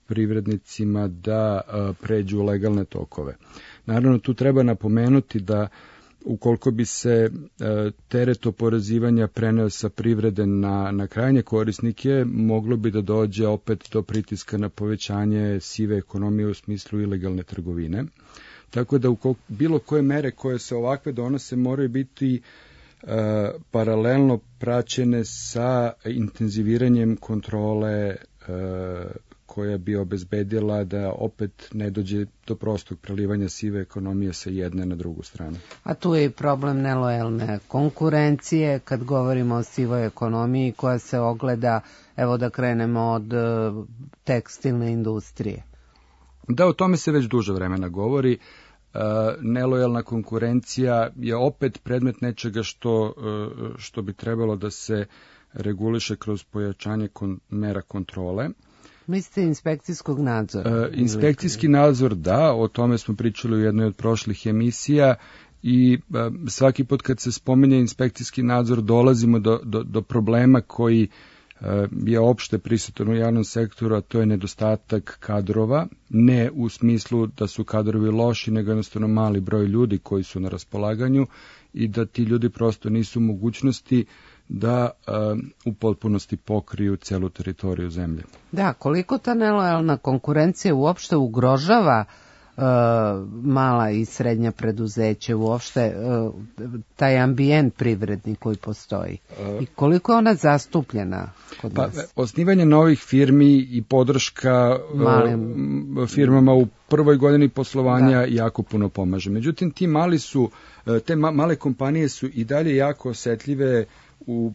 privrednicima da e, pređu u legalne tokove. Naravno, tu treba napomenuti da ukoliko bi se e, teret oporezivanja preneo sa privrede na, na krajnje korisnike, moglo bi da dođe opet do pritiska na povećanje sive ekonomije u smislu ilegalne trgovine. Tako da u bilo koje mere koje se ovakve donose moraju biti e, paralelno praćene sa intenziviranjem kontrole e, koja bi obezbedila da opet ne dođe do prostog prelivanja sive ekonomije sa jedne na drugu stranu. A tu je i problem nelojalne konkurencije kad govorimo o sivoj ekonomiji koja se ogleda, evo da krenemo od tekstilne industrije. Da, o tome se već duže vremena govori. Uh, nelojalna konkurencija je opet predmet nečega što, uh, što bi trebalo da se reguliše kroz pojačanje kon, mera kontrole. Mislite inspekcijskog nadzora? Uh, inspekcijski nadzor, da, o tome smo pričali u jednoj od prošlih emisija i uh, svaki put kad se spominje inspekcijski nadzor dolazimo do, do, do problema koji je opšte prisutan u javnom sektoru, a to je nedostatak kadrova, ne u smislu da su kadrovi loši, nego jednostavno mali broj ljudi koji su na raspolaganju i da ti ljudi prosto nisu u mogućnosti da uh, u potpunosti pokriju celu teritoriju zemlje. Da, koliko ta nelojalna konkurencija uopšte ugrožava uh, mala i srednja preduzeća, uopšte uh, taj ambijent privredni koji postoji i koliko je ona zastupljena kod pa, nas? Osnivanje novih firmi i podrška Malim. firmama u prvoj godini poslovanja da. jako puno pomaže. Međutim, ti mali su, te male kompanije su i dalje jako osetljive u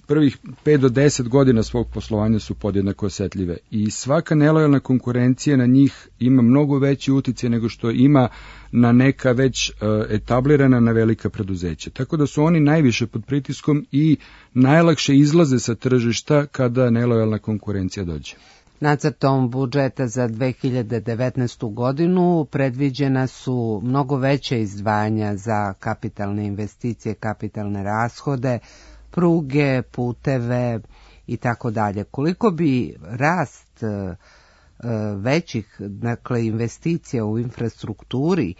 prvih pet do deset godina svog poslovanja su podjednako osetljive i svaka nelojalna konkurencija na njih ima mnogo veći uticaj nego što ima na neka već uh, etablirana na velika preduzeća. Tako da su oni najviše pod pritiskom i najlakše izlaze sa tržišta kada nelojalna konkurencija dođe. Nacrtom budžeta za dve hiljade devetnaestu godinu predviđena su mnogo veće izdvajanja za kapitalne investicije, kapitalne rashode, pruge, puteve i tako dalje. Koliko bi rast e, većih, dakle, investicija u infrastrukturi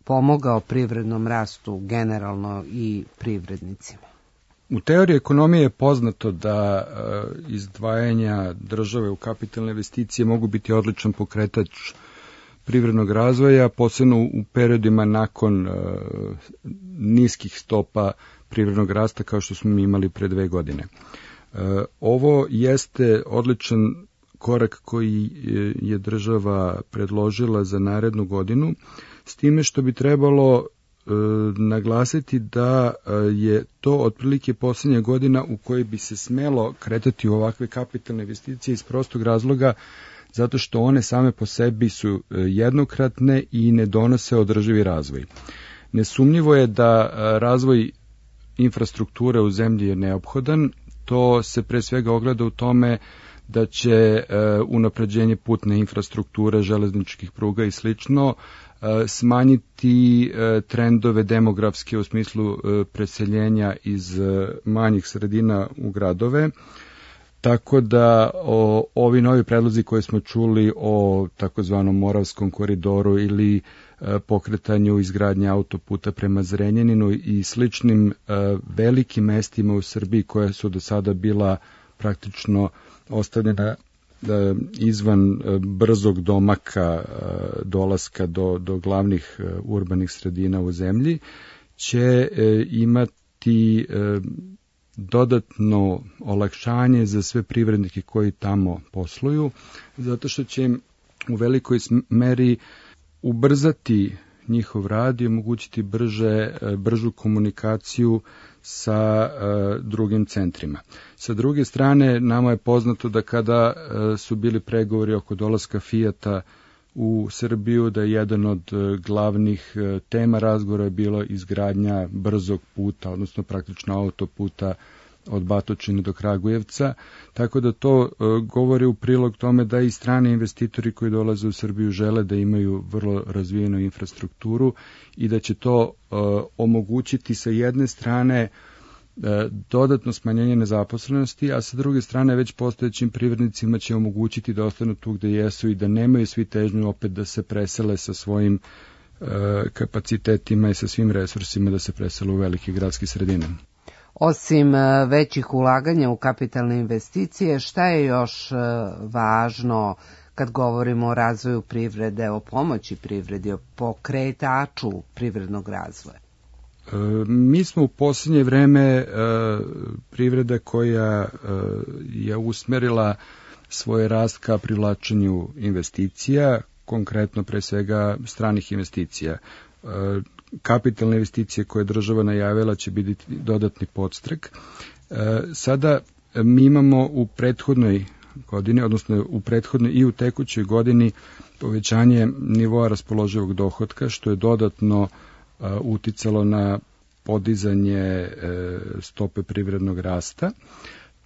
pomogao privrednom rastu generalno i privrednicima? U teoriji ekonomije je poznato da e, izdvajanja države u kapitalne investicije mogu biti odličan pokretač privrednog razvoja, posebno u periodima nakon e, niskih stopa privrednog rasta kao što smo imali pre dve godine. E, ovo jeste odličan korak koji je država predložila za narednu godinu, s time što bi trebalo e, naglasiti da je to otprilike posljednja godina u kojoj bi se smelo kretati u ovakve kapitalne investicije iz prostog razloga zato što one same po sebi su jednokratne i ne donose održivi razvoj. Nesumnjivo je da razvoj infrastrukture u zemlji je neophodan, to se pre svega ogleda u tome da će e, unapređenje putne infrastrukture, železničkih pruga i slično e, smanjiti e, trendove demografske u smislu e, preseljenja iz e, manjih sredina u gradove. Tako da o, ovi novi predlozi koje smo čuli o takozvanom Moravskom koridoru ili e, pokretanju izgradnje autoputa prema Zrenjaninu i sličnim e, velikim mestima u Srbiji koja su do sada bila praktično ostavljena e, izvan e, brzog domaka e, dolaska do, do glavnih e, urbanih sredina u zemlji, će e, imati e, dodatno olakšanje za sve privrednike koji tamo posluju, zato što će im u velikoj meri ubrzati njihov rad i omogućiti brže, bržu komunikaciju sa uh, drugim centrima. Sa druge strane, nama je poznato da kada uh, su bili pregovori oko dolaska Fijata u Srbiju, da je jedan od uh, glavnih uh, tema razgovora je bilo izgradnja brzog puta, odnosno praktično autoputa od Batočine do Kragujevca, tako da to uh, govori u prilog tome da i strani investitori koji dolaze u Srbiju žele da imaju vrlo razvijenu infrastrukturu i da će to uh, omogućiti sa jedne strane uh, dodatno smanjenje nezaposlenosti, a sa druge strane već postojećim privrednicima će omogućiti da ostanu tu gde jesu i da nemaju svi težnju opet da se presele sa svojim uh, kapacitetima i sa svim resursima da se presele u velike gradske sredine. Osim većih ulaganja u kapitalne investicije, šta je još važno kad govorimo o razvoju privrede, o pomoći privredi, o pokretaču privrednog razvoja? Mi smo u posljednje vreme privreda koja je usmerila svoj rast ka privlačenju investicija, konkretno pre svega stranih investicija. Kapitalne investicije koje je država najavila će biti dodatni podstrek. Sada mi imamo u prethodnoj godini, odnosno u prethodnoj i u tekućoj godini povećanje nivoa raspoloživog dohotka, što je dodatno uticalo na podizanje stope privrednog rasta.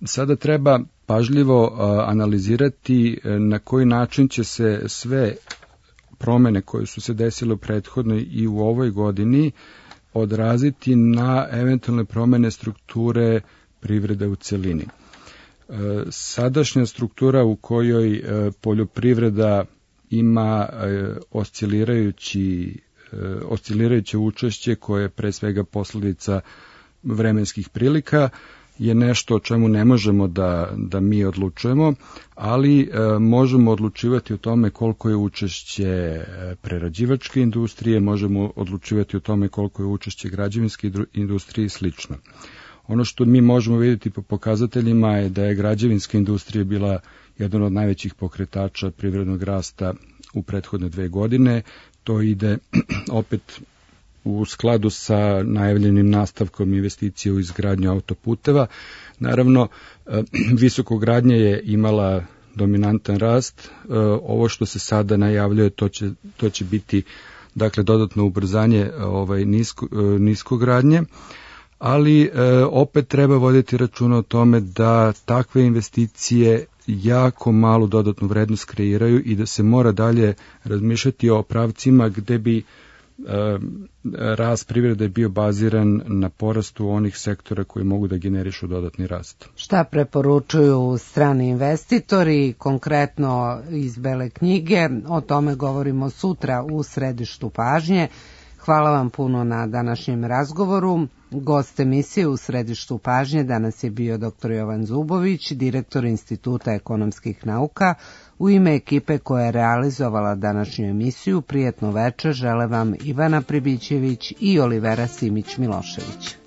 Sada treba pažljivo analizirati na koji način će se sve promene koje su se desile u prethodnoj i u ovoj godini odraziti na eventualne promene strukture privrede u celini. Sadašnja struktura u kojoj poljoprivreda ima oscilirajući, oscilirajuće učešće koje je pre svega posledica vremenskih prilika je nešto o čemu ne možemo da, da mi odlučujemo, ali e, možemo odlučivati o tome koliko je učešće prerađivačke industrije, možemo odlučivati o tome koliko je učešće građevinske industrije i slično. Ono što mi možemo vidjeti po pokazateljima je da je građevinska industrija bila jedan od najvećih pokretača privrednog rasta u prethodne dve godine. To ide opet u skladu sa najavljenim nastavkom investicije u izgradnju autoputeva. Naravno, visokogradnja je imala dominantan rast. Ovo što se sada najavljuje, to će, to će biti dakle dodatno ubrzanje ovaj, nisko, niskogradnje, ali opet treba voditi računa o tome da takve investicije jako malu dodatnu vrednost kreiraju i da se mora dalje razmišljati o pravcima gde bi rast privrede bio baziran na porastu onih sektora koji mogu da generišu dodatni rast. Šta preporučuju strani investitori, konkretno iz Bele knjige? O tome govorimo sutra u središtu pažnje. Hvala vam puno na današnjem razgovoru. Gost emisije u središtu pažnje danas je bio doktor Jovan Zubović, direktor Instituta ekonomskih nauka. U ime ekipe koja je realizovala današnju emisiju, prijetno večer žele vam Ivana Pribićević i Olivera Simić-Milošević.